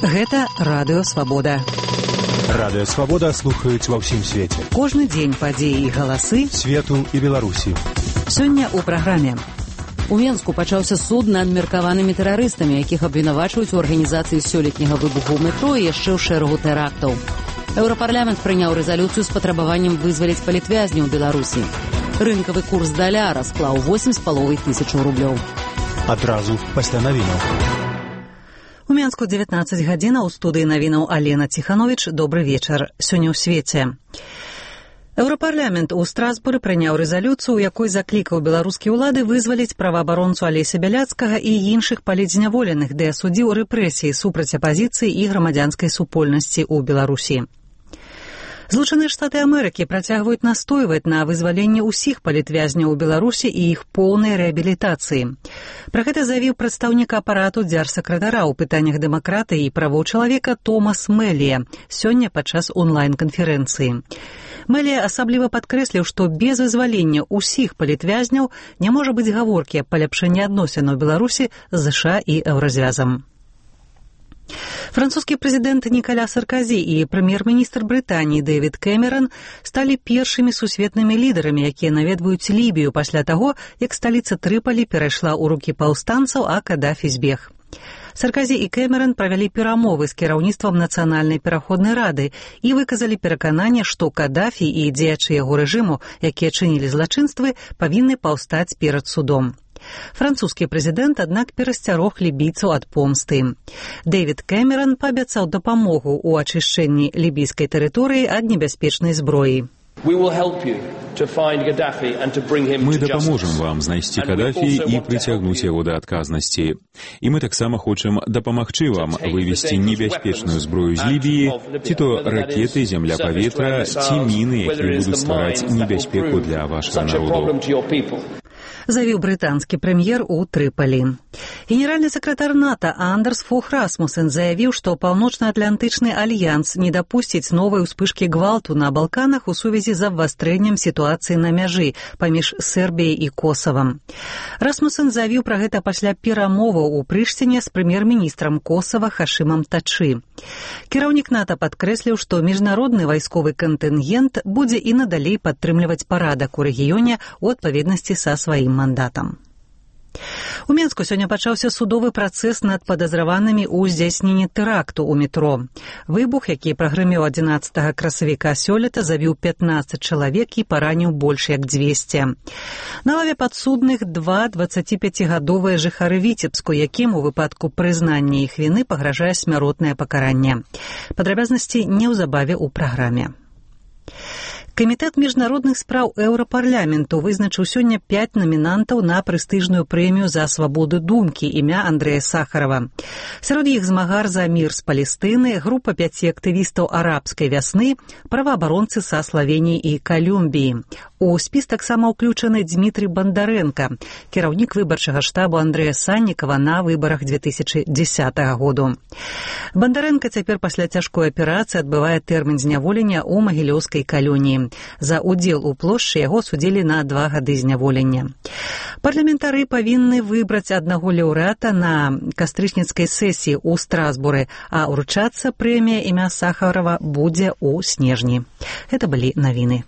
Гэта Радыё Свабода. Радыё Свабода слухаюць ва ўсім свеце. Кожны дзень падзеі і галасы свету і Беларусі. Сёння ў праграме. У Менску пачаўся суд над меркаванымі тэрарыстамі, якіх абвінавачваюць у арганізацыі сёлетняга выбуху ў метро і яшчэ ў шэрагу тэрактаў. Еўрапарламент прыняў рэзалюцыю з патрабаваннем вызваліць палітвязняў Беларусі. Рынкавы курс даляра склаў 8,5 тысячаў рублёў. Адразу пасля навінаў. У Менску 19 гадзінаў, у студыі навінаў Алена Ціхановіч. Добры вечар. Сёння ў свеце. Еўрапарламент у Страсбуры прыняў рэзалюцыю, у якой заклікаў беларускія ўлады вызваліць праваабаронцу Алеся Бяляцкага і іншых палітзняволеных, ды асудзіў рэпрэсіі супраць апазіцыі і грамадзянскай супольнасці ў Беларусі. Злучаныя Штаты Амерыкі працягваюць настойваць на вызваленні ўсіх палітвязняў у Беларусі і іх поўнай рэабілітацыі. Пра гэта заявіў прадстаўнік апарату дзяржсакратара ў пытаннях дэмакратыі і правоў чалавека Томас Мэлія сёння падчас онлайн-канферэнцыі. Мэлія асабліва падкрэсліў, што без вызвалення ўсіх палітвязняў не можа быць гаворкі аб паляпшэнні адносінаў Беларусі з ЗША і Еўразвязам. Французскі прэзідэнт Нікаля Сарказі і прэм'ер-міністр Брытаніі Дэвід Кэмеран сталі першымі сусветнымі лідарамі, якія наведваюць Лібію пасля таго, як сталіца Трыпалі перайшла ў рукі паўстанцаў, а Кадафі збег. Сарказі і Кэмеран правялі перамовы з кіраўніцтвам Нацыянальнай пераходнай рады і выказалі перакананне, што Кадафі і дзеячы яго рэжыму, якія чынілі злачынствы, павінны паўстаць перад судом. Французскі прэзідэнт, аднак, перасцярог лібійцаў ад помсты. Дэвід Кэмеран паабяцаў дапамогу ў ачышчэнні лібійскай тэрыторыі ад небяспечнай зброі. Мы дапаможам вам знайсці Кадафі і прыцягнуць яго да адказнасці. І мы таксама хочам дапамагчы вам вывесці небяспечную зброю з Лібіі, ці то ракеты, земля-паветра, ці міны, якія будуць ствараць небяспеку для вашага народу. Заявіў брытанскі прэм'ер у Трыпалі. Генеральны сакратар НАТО Андерс Фог Расмусен заявіў, што Паўночна-Атлантычны альянс не дапусціць новай успышкі гвалту на Балканах у сувязі з абвастрэннем сітуацыі на мяжы паміж Сербіяй і Косавам. Расмусен заявіў пра гэта пасля перамоваў у Прыштіне з прэм'ер-міністрам Косава Хашымам Тачы. Кіраўнік НАТО падкрэсліў, што міжнародны вайсковы кантынгент будзе і надалей падтрымліваць парадак у рэгіёне ў адпаведнасці са сваім мандатам. У Менску сёння пачаўся судовы працэс над падазраванымі ў здзяйсненні тэракту ў метро. Выбух, які прагрымеў 11 красавіка сёлета, завіў 15 чалавек і параніў больш як 200. На лаве падсудных 2 25-гадовыя жыхары Віцебску, якім у выпадку прызнання іх віны пагражае смяротнае пакаранне. Падрабязнасці неўзабаве ў праграме. Камітэт міжнародных спраў Еўрапарламенту вызначыў сёння 5 намінантаў на прэстыжную прэмію за свабоду думкі імя Андрэя Сахарова. Сярод іх змагар за мір з Палестыны, група 5 актывістаў арабскай вясны, праваабаронцы са Славеніі і Калюмбіі. У спіс таксама ўключаны Дмітрый Бандарэнка, кіраўнік выбарчага штабу Андрэя Саннікава на выбарах 2010 году. Бандарэнка цяпер пасля цяжкой аперацыі адбывае тэрмін зняволення ў магілёўскай калоніі. За удзел у плошчы яго судзілі на 2 гады зняволення. Парламентары павінны выбраць аднаго лаўрэата на кастрычніцкай сесіі ў Страсбуры, а ўручацца прэмія імя Сахарова будзе ў снежні. Гэта былі навіны.